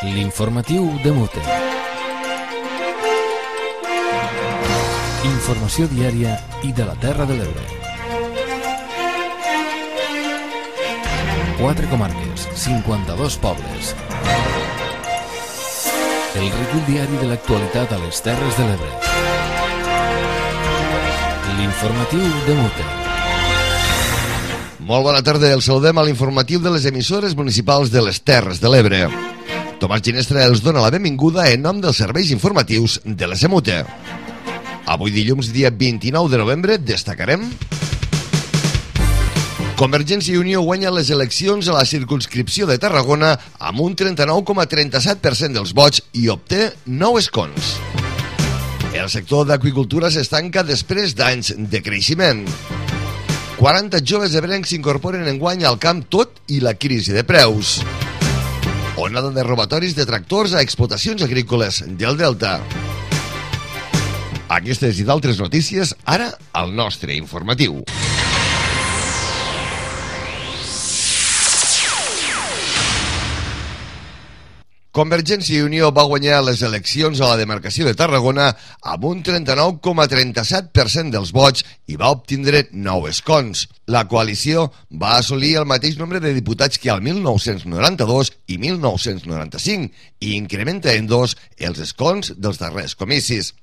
L'informatiu de Mute. Informació diària i de la Terra de l'Ebre. 4 comarques, 52 pobles. El recull diari de l'actualitat a les Terres de l'Ebre. L'informatiu de Mute. Molt bona tarda, el saludem a l'informatiu de les emissores municipals de les Terres de l'Ebre. Tomàs Ginestra els dona la benvinguda en nom dels serveis informatius de la SEMUTE. Avui dilluns, dia 29 de novembre, destacarem: Convergència i Unió guanya les eleccions a la circumscripció de Tarragona amb un 39,37% dels vots i obté 9 escons. El sector d'aqüicultura s'estanca després d'anys de creixement. 40 joves ebrencs s'incorporen enguany al camp tot i la crisi de preus. Onada de robatoris de tractors a explotacions agrícoles del Delta. Aquestes i d'altres notícies, ara al nostre informatiu. Convergència i Unió va guanyar les eleccions a la demarcació de Tarragona amb un 39,37% dels vots i va obtindre 9 escons. La coalició va assolir el mateix nombre de diputats que al 1992 i 1995 i incrementa en 2 els escons dels darrers comicis.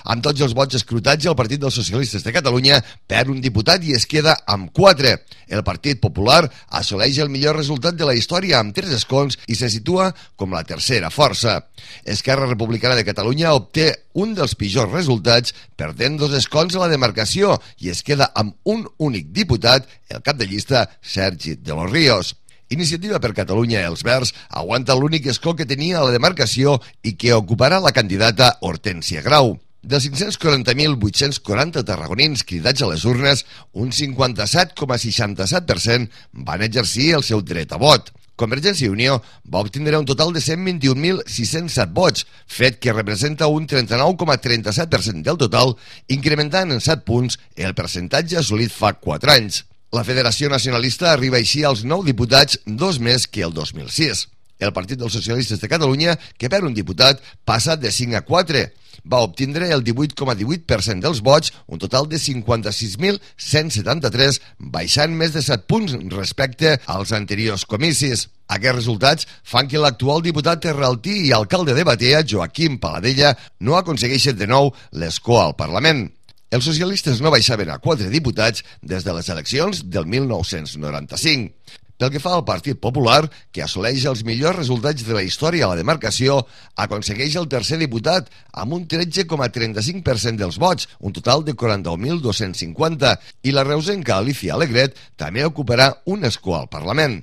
Amb tots els vots escrutats, el Partit dels Socialistes de Catalunya perd un diputat i es queda amb 4. El Partit Popular assoleix el millor resultat de la història amb 3 escons i se situa com la tercera força. Esquerra Republicana de Catalunya obté un dels pitjors resultats, perdent 2 escons a la demarcació i es queda amb un únic diputat, el cap de llista Sergi de los Ríos. Iniciativa per Catalunya Els Verds aguanta l'únic escó que tenia a la demarcació i que ocuparà la candidata Hortènsia Grau. Dels 540.840 tarragonins cridats a les urnes, un 57,67% van exercir el seu dret a vot. Convergència i Unió va obtindre un total de 121.607 vots, fet que representa un 39,37% del total, incrementant en 7 punts el percentatge assolit fa 4 anys. La Federació Nacionalista arriba així als 9 diputats, 2 més que el 2006. El Partit dels Socialistes de Catalunya, que perd un diputat, passa de 5 a 4. Va obtindre el 18,18% dels vots, un total de 56.173, baixant més de 7 punts respecte als anteriors comicis. Aquests resultats fan que l'actual diputat terraltí i alcalde de Batea, Joaquim Paladella, no aconsegueixi de nou l'escó al Parlament. Els socialistes no baixaven a 4 diputats des de les eleccions del 1995. Pel que fa al Partit Popular, que assoleix els millors resultats de la història a la demarcació, aconsegueix el tercer diputat amb un 13,35% dels vots, un total de 49.250, i la reusenca Alicia Alegret també ocuparà un escó al Parlament.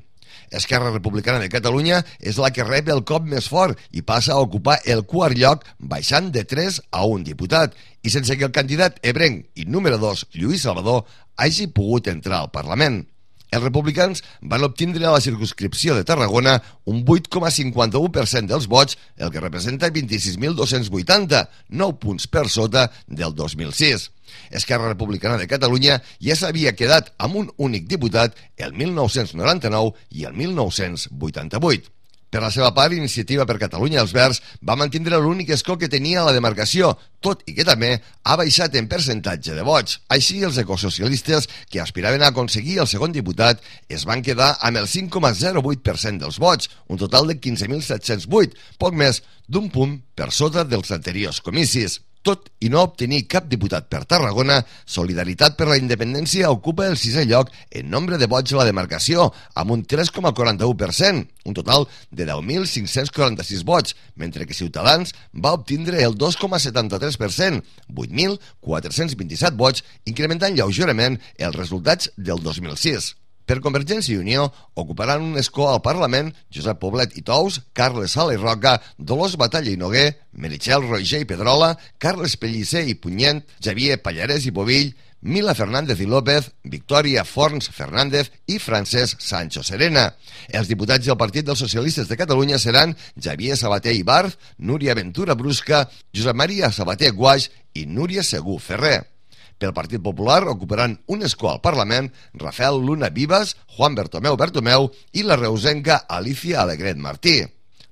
Esquerra Republicana de Catalunya és la que rep el cop més fort i passa a ocupar el quart lloc, baixant de 3 a 1 diputat, i sense que el candidat ebrenc i número 2, Lluís Salvador, hagi pogut entrar al Parlament. Els republicans van obtindre a la circumscripció de Tarragona un 8,51% dels vots, el que representa 26.280, 9 punts per sota del 2006. Esquerra Republicana de Catalunya ja s'havia quedat amb un únic diputat el 1999 i el 1988. Per la seva part, Iniciativa per Catalunya Els Verds va mantenir l'únic escó que tenia a la demarcació, tot i que també ha baixat en percentatge de vots. Així, els ecosocialistes, que aspiraven a aconseguir el segon diputat, es van quedar amb el 5,08% dels vots, un total de 15.708, poc més d'un punt per sota dels anteriors comicis. Tot i no obtenir cap diputat per Tarragona, Solidaritat per la Independència ocupa el 6è lloc en nombre de vots a la demarcació, amb un 3,41%, un total de 10.546 vots, mentre que Ciutadans va obtindre el 2,73%, 8.427 vots, incrementant lleugerament els resultats del 2006. Per Convergència i Unió ocuparan un escó al Parlament Josep Poblet i Tous, Carles Sala i Roca, Dolors Batalla i Noguer, Meritxell Roger i Pedrola, Carles Pellicer i Punyent, Xavier Pallarès i Bovill, Mila Fernández i López, Victòria Forns Fernández i Francesc Sancho Serena. Els diputats del Partit dels Socialistes de Catalunya seran Xavier Sabater i Barth, Núria Ventura Brusca, Josep Maria Sabater Guaix i Núria Segú Ferrer. Pel Partit Popular ocuparan un escó al Parlament Rafael Luna Vives, Juan Bertomeu i la reusenca Alicia Alegret Martí.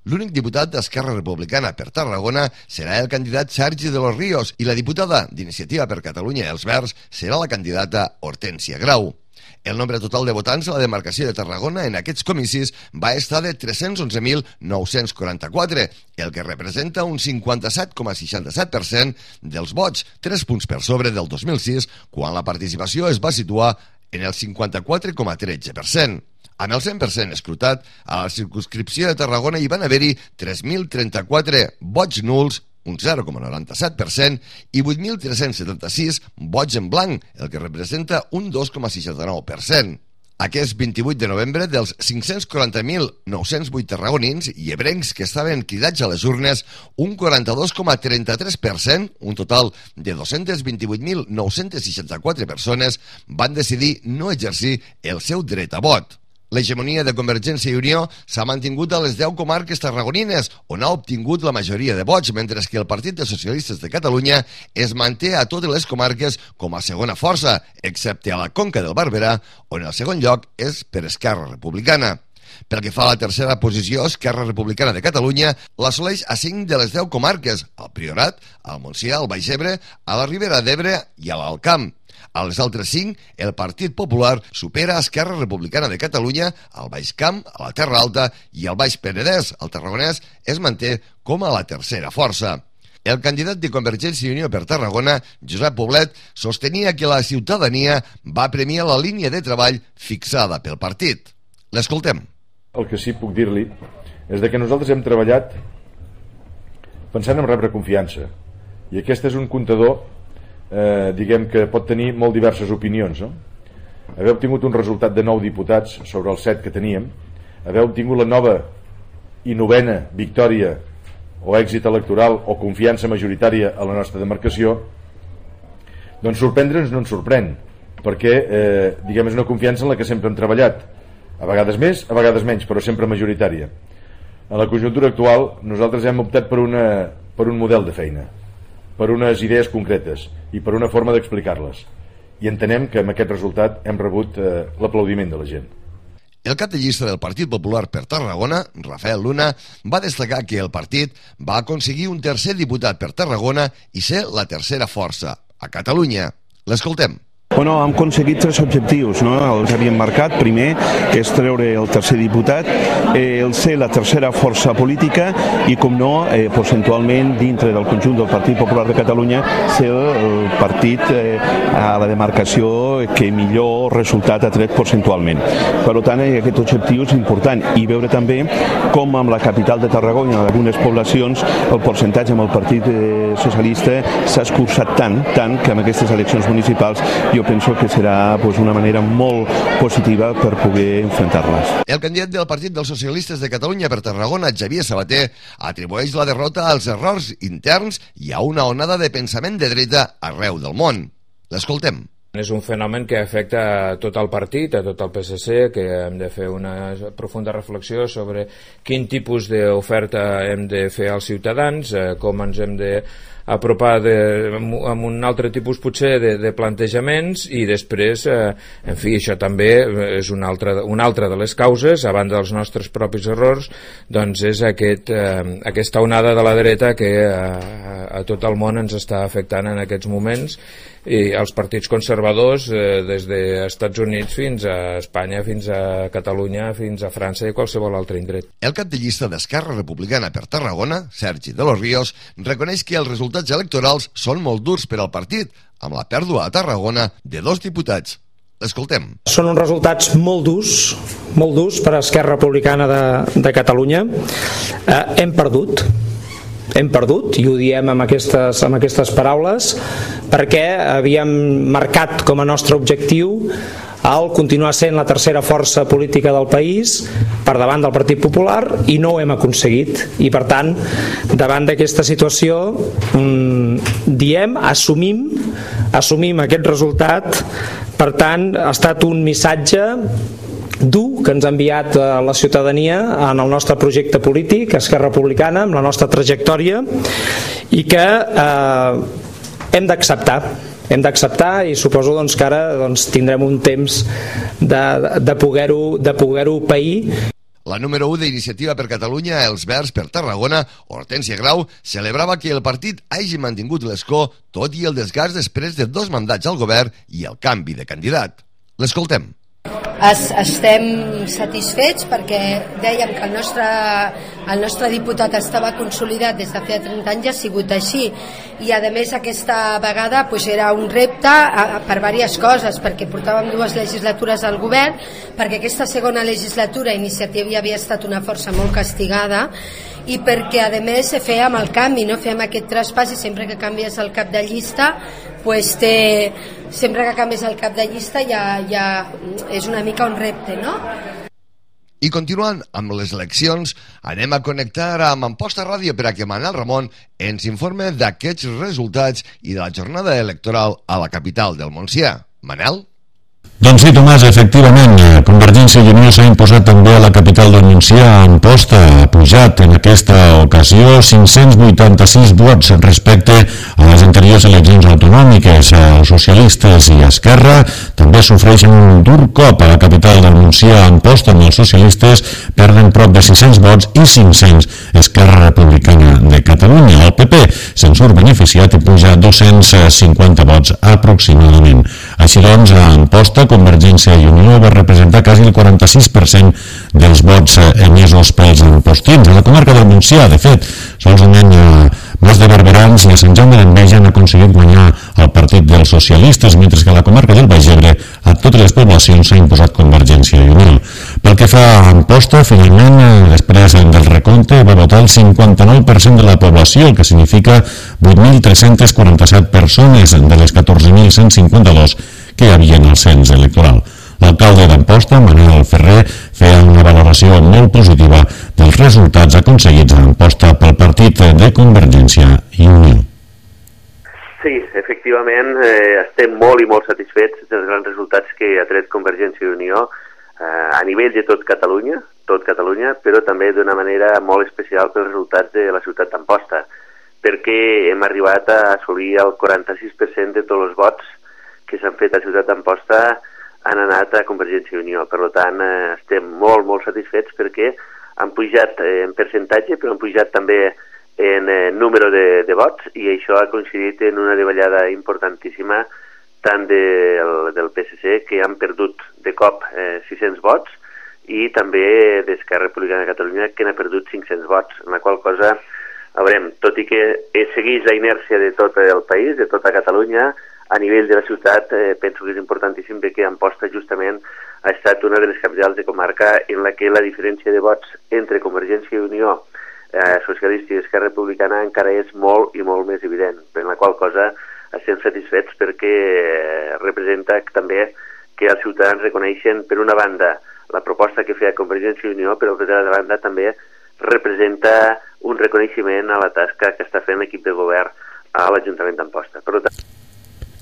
L'únic diputat d'Esquerra Republicana per Tarragona serà el candidat Sergi de los Ríos i la diputada d'Iniciativa per Catalunya i els Verds serà la candidata Hortènsia Grau. El nombre total de votants a la demarcació de Tarragona en aquests comicis va estar de 311.944, el que representa un 57,67% dels vots, 3 punts per sobre del 2006, quan la participació es va situar en el 54,13%. Amb el 100% escrutat, a la circumscripció de Tarragona hi van haver-hi 3.034 vots nuls, un 0,97%, i 8.376 vots en blanc, el que representa un 2,69%. Aquest 28 de novembre, dels 540.908 tarragonins i ebrencs que estaven cridats a les urnes, un 42,33%, un total de 228.964 persones, van decidir no exercir el seu dret a vot. L'hegemonia de Convergència i Unió s'ha mantingut a les 10 comarques tarragonines, on ha obtingut la majoria de vots, mentre que el Partit de Socialistes de Catalunya es manté a totes les comarques com a segona força, excepte a la Conca del Barberà, on el segon lloc és per Esquerra Republicana. Pel que fa a la tercera posició, Esquerra Republicana de Catalunya l'assoleix a 5 de les 10 comarques, al Priorat, al Montsià, al Baix Ebre, a la Ribera d'Ebre i a l'Alt Camp. A les altres 5, el Partit Popular supera Esquerra Republicana de Catalunya, al Baix Camp, a la Terra Alta i al Baix Penedès. El Tarragonès es manté com a la tercera força. El candidat de Convergència i Unió per Tarragona, Josep Poblet, sostenia que la ciutadania va premiar la línia de treball fixada pel partit. L'escoltem. El que sí puc dir-li és que nosaltres hem treballat pensant en rebre confiança, i aquest és un comptador diguem que pot tenir molt diverses opinions, no? Haver obtingut un resultat de 9 diputats sobre els 7 que teníem, haver obtingut la nova i 9a victòria o èxit electoral o confiança majoritària a la nostra demarcació, doncs sorprendre'ns no ens sorprèn, perquè diguem és una confiança en la que sempre hem treballat, a vegades més, a vegades menys, però sempre majoritària. En la conjuntura actual nosaltres hem optat per un model de feina, per unes idees concretes i per una forma d'explicar-les, i entenem que amb aquest resultat hem rebut l'aplaudiment de la gent. El cap de llista del Partit Popular per Tarragona, Rafael Luna, va destacar que el partit va aconseguir un tercer diputat per Tarragona i ser la tercera força a Catalunya. L'escoltem. Bueno, hem aconseguit 3 objectius, no? Els havíem marcat. Primer, que és treure el tercer diputat, el ser la tercera força política i, com no, percentualment, dintre del conjunt del Partit Popular de Catalunya, ser el partit a la demarcació que millor resultat ha tret percentualment. Per tant, aquest objectiu és important, i veure també com amb la capital de Tarragona, en algunes poblacions, el percentatge amb el Partit Socialista s'ha escurçat tant que amb aquestes eleccions municipals jo penso que serà una manera molt positiva per poder enfrontar-les. El candidat del Partit dels Socialistes de Catalunya per Tarragona, Xavier Sabater, atribueix la derrota als errors interns i a una onada de pensament de dreta arreu del món. L'escoltem. És un fenomen que afecta a tot el partit, a tot el PSC, que hem de fer una profunda reflexió sobre quin tipus d'oferta hem de fer als ciutadans, com ens hem de apropar amb un altre tipus potser de plantejaments, i després, en fi, això també és una altra de les causes, a banda dels nostres propis errors, doncs és aquesta onada de la dreta que a tot el món ens està afectant en aquests moments, i els partits conservadors des dels Estats Units fins a Espanya, fins a Catalunya, fins a França i qualsevol altre indret. El cap de llista d'Esquerra Republicana per Tarragona, Sergi de los Ríos, reconeix que els resultats electorals són molt durs per al partit, amb la pèrdua a Tarragona de 2 diputats. Escoltem. Són uns resultats molt durs per a Esquerra Republicana de Catalunya. Hem perdut, i ho diem amb aquestes paraules, perquè havíem marcat com a nostre objectiu el continuar sent la tercera força política del país per davant del Partit Popular, i no ho hem aconseguit, i per tant davant d'aquesta situació assumim aquest resultat. Per tant, ha estat un missatge dur que ens ha enviat a la ciutadania en el nostre projecte polític, Esquerra Republicana, amb la nostra trajectòria, i que hem d'acceptar, i suposo que ara tindrem un temps de poder-ho pair. La número 1 d'Iniciativa per Catalunya, Els Verds per Tarragona, Hortènsia Grau, celebrava que el partit hagi mantingut l'escó tot i el desgast després de 2 mandats al govern i el canvi de candidat. L'escoltem. Estem satisfets perquè dèiem que el nostre diputat estava consolidat des de feia 30 anys, ha sigut així, i a més aquesta vegada era un repte per diverses coses, perquè portàvem 2 legislatures al govern, perquè aquesta segona legislatura Iniciativa havia estat una força molt castigada, i perquè a més fèiem el canvi, no fèiem aquest traspàs, i sempre que canvies el cap de llista sempre que canvies el cap de llista ja és una mica un repte, no? I continuant amb les eleccions, anem a connectar amb Amposta Ràdio per a que Manel Ramon ens informe d'aquests resultats i de la jornada electoral a la capital del Montsià. Manel? Doncs sí, Tomàs, efectivament, Convergència i Unió s'ha imposat també a la capital del Montsià, a Amposta. Ha pujat en aquesta ocasió 586 vots respecte a les anteriors eleccions autonòmiques. Els socialistes i Esquerra també sofreixen un dur cop a la capital del Montsià, a Amposta, amb els socialistes perden prop de 600 vots i 500 Esquerra Republicana de Catalunya. El PP se'n surt beneficiat i puja 250 vots aproximadament. Així doncs, a Amposta, Convergència i Unió va representar quasi el 46% dels vots emesos pels ampostins. A la comarca del Montsià, de fet, solament Mas de Barberans i a Sant Jaume d'Enveja han aconseguit guanyar el partit dels socialistes, mentre que a la comarca del Baix Ebre a totes les poblacions s'ha imposat Convergència i Unió. Pel que fa a Amposta, finalment, després del recompte, va votar el 59% de la població, el que significa 8.347 persones de les 14.152 que hi havia en el cens electoral. L'alcalde d'Amposta, Manuel Ferrer, feia una valoració molt positiva dels resultats aconseguits a Amposta pel partit de Convergència i Unió. Sí, efectivament, estem molt i molt satisfets dels grans resultats que ha tret Convergència i Unió a nivell de tot Catalunya, però també d'una manera molt especial pels resultats de la ciutat d'Amposta, perquè hem arribat a assolir el 46% de tots els vots que s'han fet a Ciutat d'Amposta han anat a Convergència i Unió. Per tant, estem molt, molt satisfets perquè han pujat en percentatge, però han pujat també en número de vots, i això ha coincidit en una davallada importantíssima tant del PSC, que han perdut de cop 600 vots, i també d'Esquerra Republicana de Catalunya, que n'ha perdut 500 vots, en la qual cosa, a veure, tot i que segueix la inèrcia de tot el país, de tota Catalunya, a nivell de la ciutat penso que és importantíssim que Amposta justament ha estat una de les capitals de comarca en la que la diferència de vots entre Convergència i Unió, Socialista i Esquerra Republicana encara és molt i molt més evident, per la qual cosa estem satisfets perquè representa també que els ciutadans reconeixen per una banda la proposta que feia Convergència i Unió, però per l'altra banda també representa un reconeixement a la tasca que està fent l'equip de govern a l'Ajuntament d'Amposta. Per tant,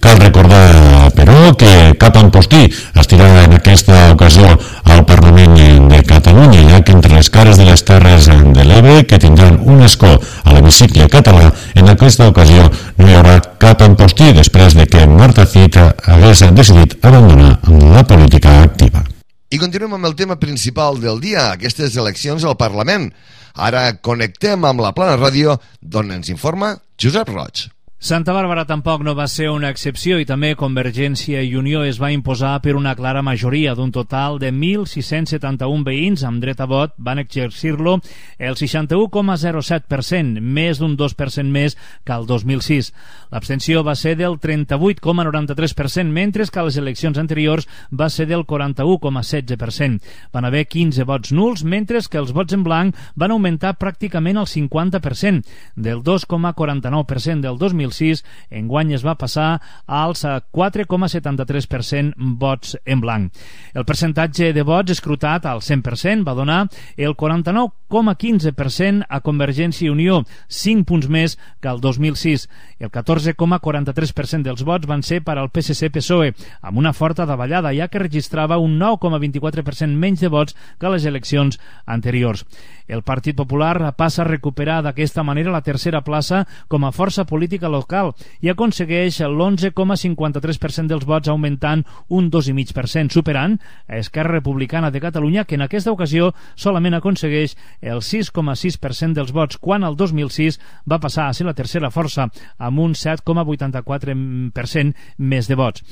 cal recordar, però, que cap ampostí estirà en aquesta ocasió al Parlament de Catalunya, ja que entre les cares de les Terres de l'Ebre, que tindran un escó a l'hemicicle català, en aquesta ocasió no hi haurà cap ampostí després de que Marta Cid hagués decidit abandonar la política activa. I continuem amb el tema principal del dia, aquestes eleccions al Parlament. Ara connectem amb la Plana Ràdio, d'on ens informa Josep Roig. Santa Bàrbara tampoc no va ser una excepció i també Convergència i Unió es va imposar per una clara majoria d'un total de 1.671 veïns amb dret a vot van exercir-lo el 61,07%, més d'un 2% més que el 2006. L'abstenció va ser del 38,93%, mentre que a les eleccions anteriors va ser del 41,16%. Van haver 15 vots nuls, mentre que els vots en blanc van augmentar pràcticament el 50%, del 2,49% del 2006 enguany es va passar als 4,73% vots en blanc. El percentatge de vots escrutat al 100% va donar el 49,15% a Convergència i Unió, 5 punts més que el 2006. El 14,43% dels vots van ser per al PSC-PSOE, amb una forta davallada, ja que registrava un 9,24% menys de vots que a les eleccions anteriors. El Partit Popular passa a recuperar d'aquesta manera la tercera plaça com a força política local i aconsegueix l'11,53% dels vots, augmentant un 2,5%, superant a Esquerra Republicana de Catalunya, que en aquesta ocasió solament aconsegueix el 6,6% dels vots, quan el 2006 va passar a ser la tercera força amb un 7,84% més de vots.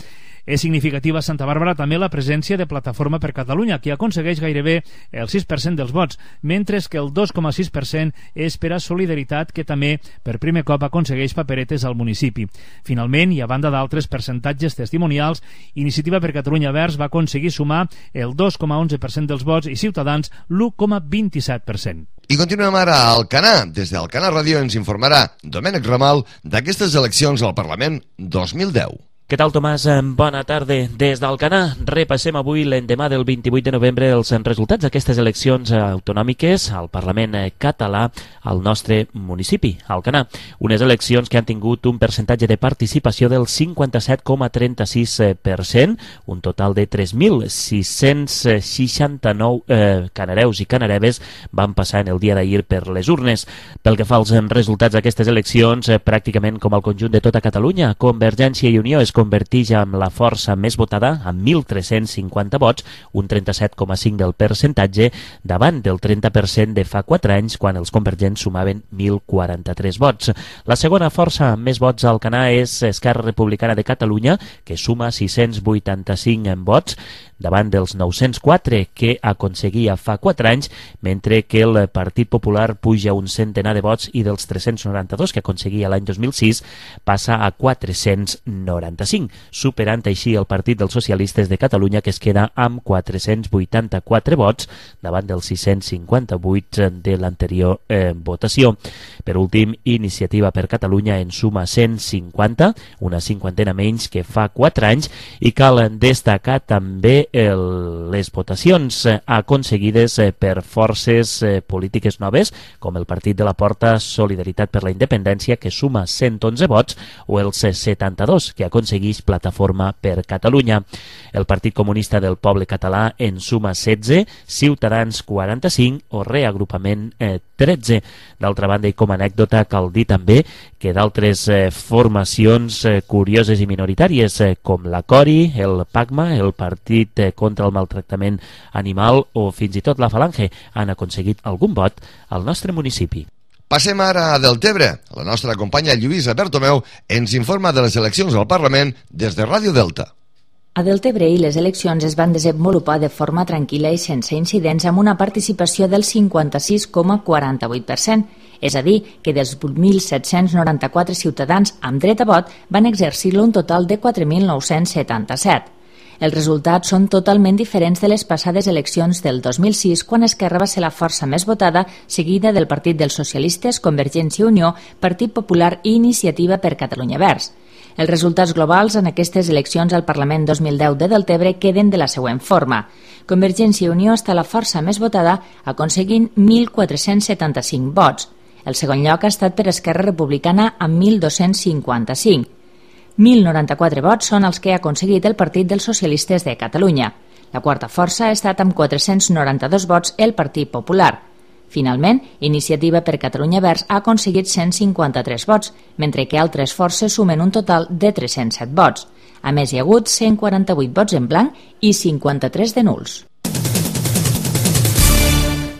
És significativa a Santa Bàrbara també la presència de Plataforma per Catalunya, que aconsegueix gairebé el 6% dels vots, mentre que el 2,6% és per a Solidaritat, que també per primer cop aconsegueix paperetes al municipi. Finalment, i a banda d'altres percentatges testimonials, Iniciativa per Catalunya Verds va aconseguir sumar el 2,11% dels vots i Ciutadans l'1,27%. I continuem ara a Alcanar. Des d'Alcanar Ràdio ens informarà Domènec Ramal d'aquestes eleccions al Parlament 2010. Què tal, Tomàs? Bona tarda. Des d'Alcanar repassem avui l'endemà del 28 de novembre els resultats d'aquestes eleccions autonòmiques al Parlament català al nostre municipi, Alcanar. Unes eleccions que han tingut un percentatge de participació del 57,36%, un total de 3.669 canareus i canareves van passar en el dia d'ahir per les urnes. Pel que fa als resultats d'aquestes eleccions, pràcticament com al conjunt de tota Catalunya, Convergència i Unió es converteix en la força més votada amb 1.350 vots, un 37,5% del percentatge, davant del 30% de fa 4 anys, quan els convergents sumaven 1.043 vots. La segona força amb més vots al Alcanar és Esquerra Republicana de Catalunya, que suma 685 vots, davant dels 904 que aconseguia fa 4 anys, mentre que el Partit Popular puja un centenar de vots i dels 392 que aconseguia l'any 2006 passa a 495, superant així el Partit dels Socialistes de Catalunya, que es queda amb 484 vots davant dels 658 de l'anterior votació. Per últim, Iniciativa per Catalunya en suma 150, una cinquantena menys que fa 4 anys, i cal destacar també les votacions aconseguides per forces polítiques noves, com el Partit de la Porta Solidaritat per la Independència, que suma 111 vots, o els 72 que aconsegueix Plataforma per Catalunya. El Partit Comunista del Poble Català en suma 16, Ciutadans 45 o Reagrupament 13. D'altra banda, i com a anècdota, cal dir també que d'altres formacions curioses i minoritàries, com la CORI, el PACMA, el Partit contra el Maltractament Animal o fins i tot la Falange, han aconseguit algun vot al nostre municipi. Passem ara a Deltebre. La nostra companya Lluïsa Bertomeu ens informa de les eleccions al Parlament des de Ràdio Delta. A Deltebre les eleccions es van desenvolupar de forma tranquil·la i sense incidents, amb una participació del 56,48%, és a dir, que dels 8.794 ciutadans amb dret a vot van exercir-lo un total de 4.977. Els resultats són totalment diferents de les passades eleccions del 2006, quan Esquerra va ser la força més votada, seguida del Partit dels Socialistes, Convergència i Unió, Partit Popular i Iniciativa per Catalunya Verds. Els resultats globals en aquestes eleccions al Parlament 2010 de Deltebre queden de la següent forma. Convergència i Unió està la força més votada, aconseguint 1.475 vots. El segon lloc ha estat per Esquerra Republicana amb 1.255. 1.094 vots són els que ha aconseguit el Partit dels Socialistes de Catalunya. La quarta força ha estat amb 492 vots el Partit Popular. Finalment, Iniciativa per Catalunya Verds ha aconseguit 153 vots, mentre que altres forces sumen un total de 307 vots. A més, hi ha hagut 148 vots en blanc i 53 de nuls.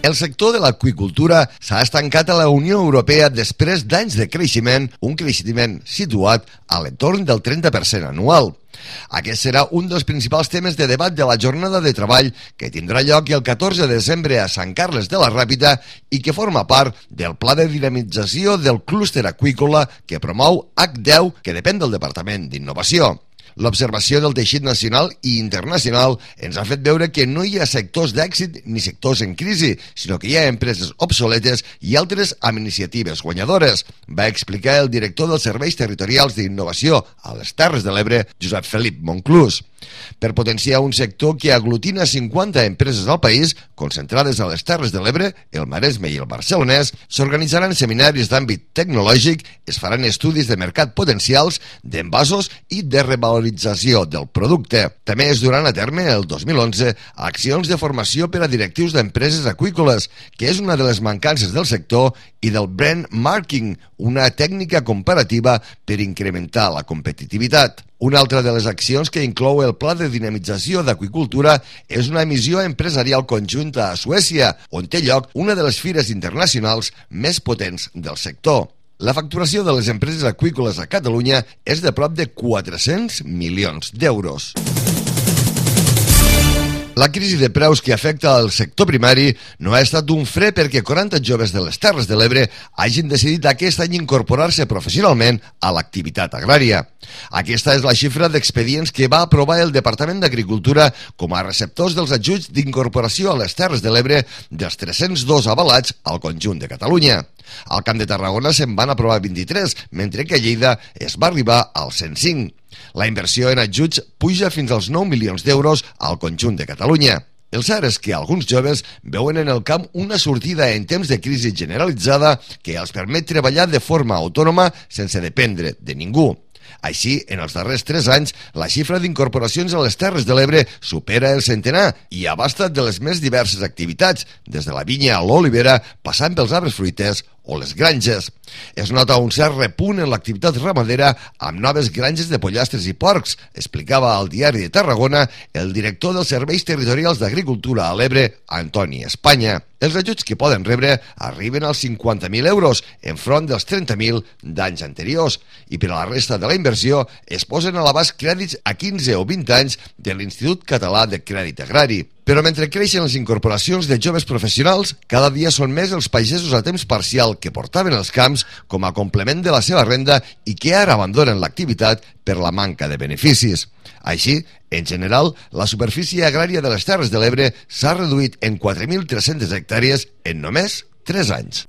El sector de l'aqüicultura s'ha estancat a la Unió Europea després d'anys de creixement, un creixement situat a l'entorn del 30% anual. Aquest serà un dels principals temes de debat de la jornada de treball que tindrà lloc el 14 de desembre a Sant Carles de la Ràpita i que forma part del pla de dinamització del clúster aqüícola que promou H10, que depèn del Departament d'Innovació. L'observació del teixit nacional i internacional ens ha fet veure que no hi ha sectors d'èxit ni sectors en crisi, sinó que hi ha empreses obsoletes i altres amb iniciatives guanyadores, va explicar el director dels Serveis Territorials d'Innovació a les Terres de l'Ebre, Josep Felip Monclús. Per potenciar un sector que aglutina 50 empreses al país, concentrades a les Terres de l'Ebre, el Maresme i el Barcelonès, s'organitzaran seminaris d'àmbit tecnològic, es faran estudis de mercat potencials, d'envasos i de revalorització del producte. També es duran a terme el 2011 accions de formació per a directius d'empreses aqüícoles, que és una de les mancances del sector, i del brand marketing, una tècnica comparativa per incrementar la competitivitat. Una altra de les accions que inclou el Pla de Dinamització d'Aqüicultura és una emissió empresarial conjunta a Suècia, on té lloc una de les fires internacionals més potents del sector. La facturació de les empreses aqüícoles a Catalunya és de prop de 400 milions d'euros. La crisi de preus que afecta el sector primari no ha estat un fre perquè 40 joves de les Terres de l'Ebre hagin decidit aquest any incorporar-se professionalment a l'activitat agrària. Aquesta és la xifra d'expedients que va aprovar el Departament d'Agricultura com a receptors dels ajuts d'incorporació a les Terres de l'Ebre dels 302 avalats al conjunt de Catalunya. Al Camp de Tarragona se'n van aprovar 23, mentre que a Lleida es va arribar als 105. La inversió en ajuts puja fins als 9 milions d'euros al conjunt de Catalunya. El cert és que alguns joves veuen en el camp una sortida en temps de crisi generalitzada que els permet treballar de forma autònoma sense dependre de ningú. Així, en els darrers 3 anys, la xifra d'incorporacions a les Terres de l'Ebre supera el centenar i abasta de les més diverses activitats, des de la vinya a l'olivera, passant pels arbres fruiters o les granges. Es nota un cert repunt en l'activitat ramadera amb noves granges de pollastres i porcs, explicava al Diari de Tarragona el director dels Serveis Territorials d'Agricultura a l'Ebre, Antoni Espanya. Els ajuts que poden rebre arriben als 50.000 euros, enfront dels 30.000 d'anys anteriors, i per a la resta de la inversió es posen a l'abast crèdits a 15 o 20 anys de l'Institut Català de Crèdit Agrari. Però mentre creixen les incorporacions de joves professionals, cada dia són més els pagesos a temps parcial que portaven els camps com a complement de la seva renda i que ara abandonen l'activitat per la manca de beneficis. Així, en general, la superfície agrària de les Terres de l'Ebre s'ha reduït en 4.300 hectàrees en només 3 anys.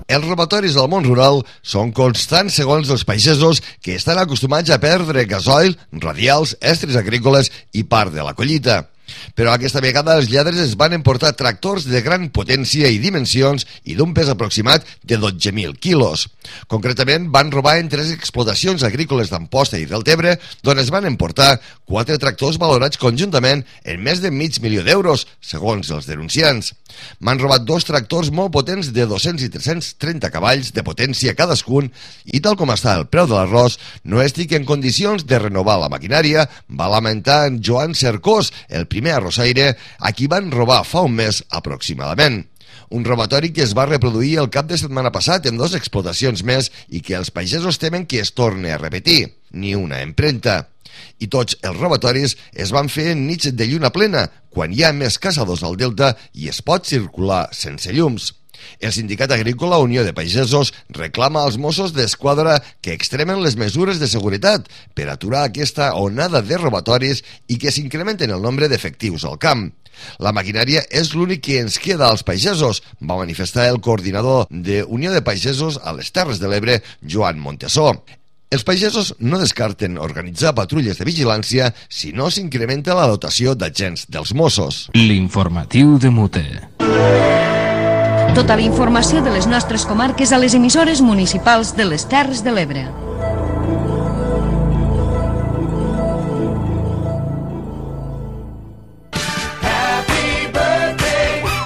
Els robatoris al món rural són constants segons els pagesos que estan acostumats a perdre gasoil, radials, estris agrícoles i part de la collita. Però aquesta vegada els lladres es van emportar tractors de gran potència i dimensions i d'un pes aproximat de 12.000 quilos. Concretament, van robar en 3 explotacions agrícoles d'Amposta i Deltebre, d'on es van emportar 4 tractors valorats conjuntament en més de $500.000 d'euros, segons els denunciants. M'han robat 2 tractors molt potents de 200 i 330 cavalls de potència cadascun i tal com està el preu de l'arròs, no estic en condicions de renovar la maquinària, va lamentar en Joan Cercós, el primer arrossaire, a qui van robar fa un mes aproximadament. Un robatori que es va reproduir el cap de setmana passat en 2 explotacions més i que els pagesos temen que es torni a repetir. Ni una empremta. I tots els robatoris es van fer en nits de lluna plena, quan hi ha més caçadors al delta i es pot circular sense llums. El Sindicat Agrícola Unió de Pagesos reclama als Mossos d'Esquadra que extremen les mesures de seguretat per aturar aquesta onada de robatoris i que s'incrementen el nombre d'efectius al camp. La maquinària és l'únic que ens queda als pagesos, va manifestar el coordinador de Unió de Pagesos a les Terres de l'Ebre, Joan Montesó. Els pagesos no descarten organitzar patrulles de vigilància si no s'incrementa la dotació d'agents dels Mossos. L'informatiu de Muté. Tota la informació de les nostres comarques a les emissores municipals de les Terres de l'Ebre.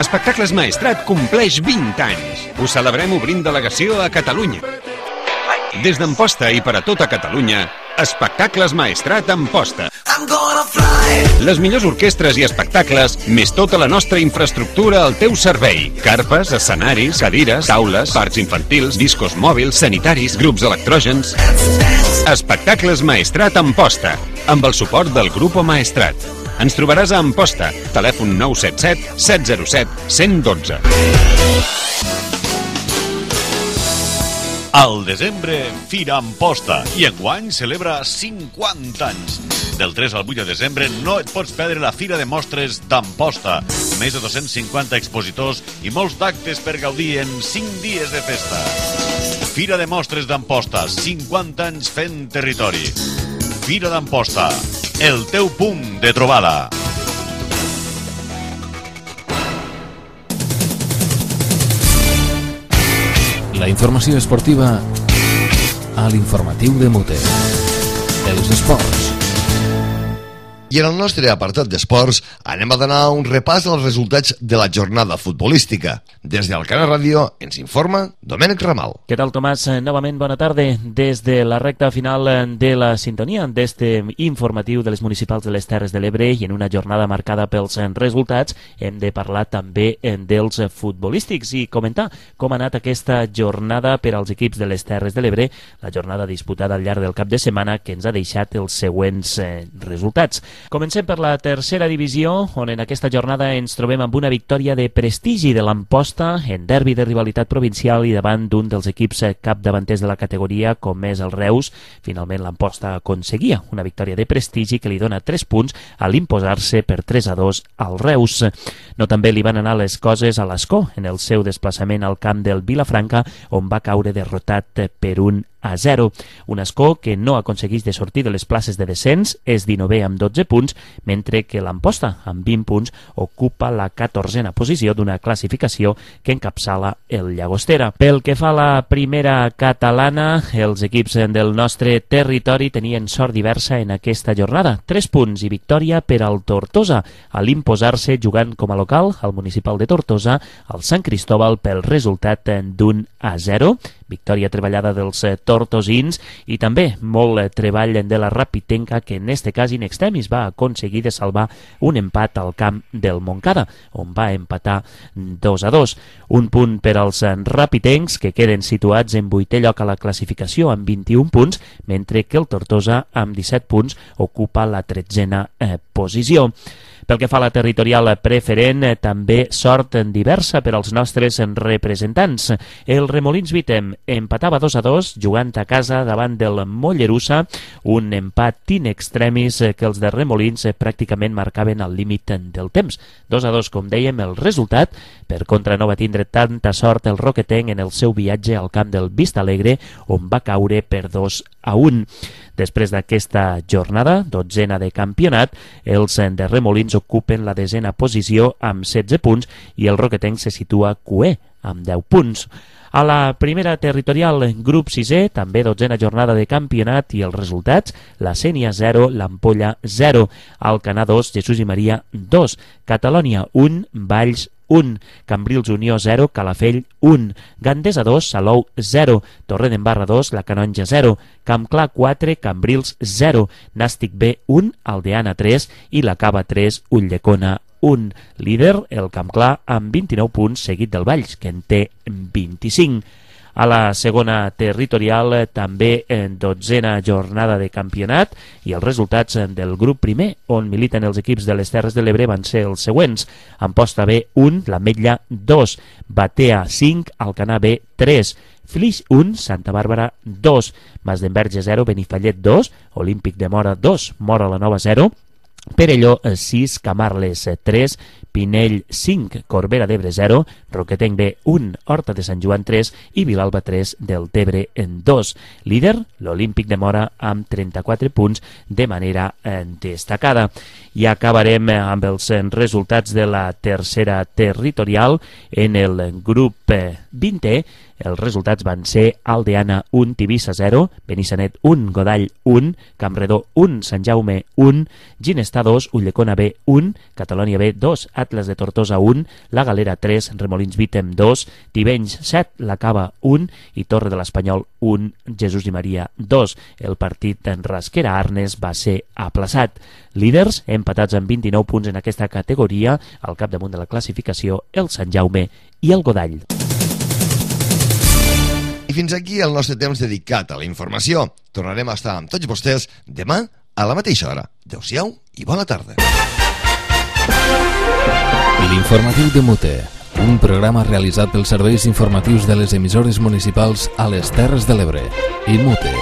Espectacles Maestrat compleix 20 anys. Ho celebrem obrint delegació a Catalunya. Des d'Amposta i per a tota Catalunya, Espectacles Maestrat Amposta. Les millors orquestres i espectacles, més tota la nostra infraestructura al teu servei. Carpes, escenaris, cadires, taules, parcs infantils, discos mòbils, sanitaris, grups electrògens. Espectacles Maestrat Amposta, amb el suport del Grupo Maestrat. Ens trobaràs a Amposta, telèfon 977 707 112. Al desembre, Fira Amposta, i enguany celebra 50 anys. Del 3 al 8 de desembre no et pots perdre la Fira de Mostres d'Amposta. Més de 250 expositors i molts d'actes per gaudir en 5 dies de festa. Fira de Mostres d'Amposta, 50 anys fent territori. Fira d'Amposta, el teu punt de trobada. La informació esportiva a l'informatiu de Mute. Els esports. I en el nostre apartat d'esports anem a donar un repàs als resultats de la jornada futbolística. Des del Canal Ràdio ens informa Domènec Ramal. Què tal, Tomàs? Novament bona tarda. Des de la recta final de la sintonia d'este informatiu de les municipals de les Terres de l'Ebre i en una jornada marcada pels resultats hem de parlar també dels futbolístics i comentar com ha anat aquesta jornada per als equips de les Terres de l'Ebre, la jornada disputada al llarg del cap de setmana que ens ha deixat els següents resultats. Comencem per la tercera divisió, on en aquesta jornada ens trobem amb una victòria de prestigi de l'Amposta en derbi de rivalitat provincial i davant d'un dels equips capdavanters de la categoria, com és el Reus. Finalment l'Amposta aconseguia una victòria de prestigi que li dona 3 punts a l'imposar-se per 3-2 al Reus. No també li van anar les coses a l'Escó en el seu desplaçament al camp del Vilafranca, on va caure derrotat per 1-0. Un Escó que no aconsegueix de sortir de les places de descens, és 19è amb 12 punts, mentre que l'Amposta, amb 20 punts, ocupa la 14a posició d'una classificació que encapçala el Llagostera. Pel que fa a la primera catalana, els equips del nostre territori tenien sort diversa en aquesta jornada. 3 punts i victòria per al Tortosa, a l'imposar-se jugant com a local al municipal de Tortosa, al Sant Cristóbal pel resultat d'1-0. Victòria treballada dels tortosins i també molt treball de la Rapitenca, que en este cas in extremis va aconseguir de salvar un empat al camp del Montcada, on va empatar 2-2. Un punt per als rapitencs, que queden situats en 8è lloc a la classificació amb 21 punts, mentre que el Tortosa, amb 17 punts, ocupa la 13a posició. Pel que fa a la territorial preferent, també sort diversa per als nostres representants. El Remolins Vitem empatava 2-2 jugant a casa davant del Mollerussa, un empat in extremis que els de Remolins pràcticament marcaven al límit del temps. 2-2, com dèiem, el resultat. Per contra, no va tindre tanta sort el roquetenc en el seu viatge al camp del Vistalegre, on va caure per 2-1. Després d'aquesta jornada, 12a de campionat, els de Remolins ocupen la 10a posició amb 16 punts i el roquetenc se situa cuer amb 10 punts. A la primera territorial, grup 6è, també 12a jornada de campionat i els resultats: la Sénia 0, l'Ampolla 0, Alcanar 2, Jesús i Maria 2, Catalònia 1, Valls 1, Cambrils Unió 0, Calafell 1, Gandesa 2, Salou 0, Torredembarra 2, La Canonja 0, Campclar 4, Cambrils 0, Nàstic B 1, Aldeana 3 i la Cava 3, Ulldecona 1. Líder, el Campclar, amb 29 punts, seguit del Valls, que en té 25. A la segona territorial, també en 12a jornada de campionat, i els resultats del grup primer, on militen els equips de les Terres de l'Ebre, van ser els següents: Amposta B 1, l'Ametlla 2, Batea 5, Alcanar B 3, Flix 1, Santa Bàrbara 2, Masdenverge 0, Benifallet 2, Olímpic de Mora 2, Mora la Nova 0, Perelló 6, Camarles 3, Pinell 5, Corbera d'Ebre 0, Roquetenc B 1, Horta de Sant Joan 3 i Vilalba 3, del Tebre en 2. Líder, l'Olímpic de Mora, amb 34 punts de manera destacada. I acabarem amb els resultats de la tercera territorial. En el grup 20è, els resultats van ser Aldeana 1, Tivissa 0, Benissanet 1, Godall 1, Campredó 1, Sant Jaume 1, Ginestar 2, Ulldecona B 1, Catalònia B 2, Atlas de Tortosa 1, La Galera 3, Remolins Vitem 2, Tivenys 7, La Cava 1 i Torre de l'Espanyol 1, Jesús i Maria 2. El partit en Rasquera-Arnes va ser aplaçat. Líders, empatats amb 29 punts en aquesta categoria, al capdamunt de la classificació, el Sant Jaume i el Godall. I fins aquí el nostre temps dedicat a la informació. Tornarem a estar amb tots vostès demà a la mateixa hora. Adéu-siau i bona tarda. L'Informatiu de Mute, un programa realitzat pels serveis informatius de les emissores municipals a les Terres de l'Ebre i Mute.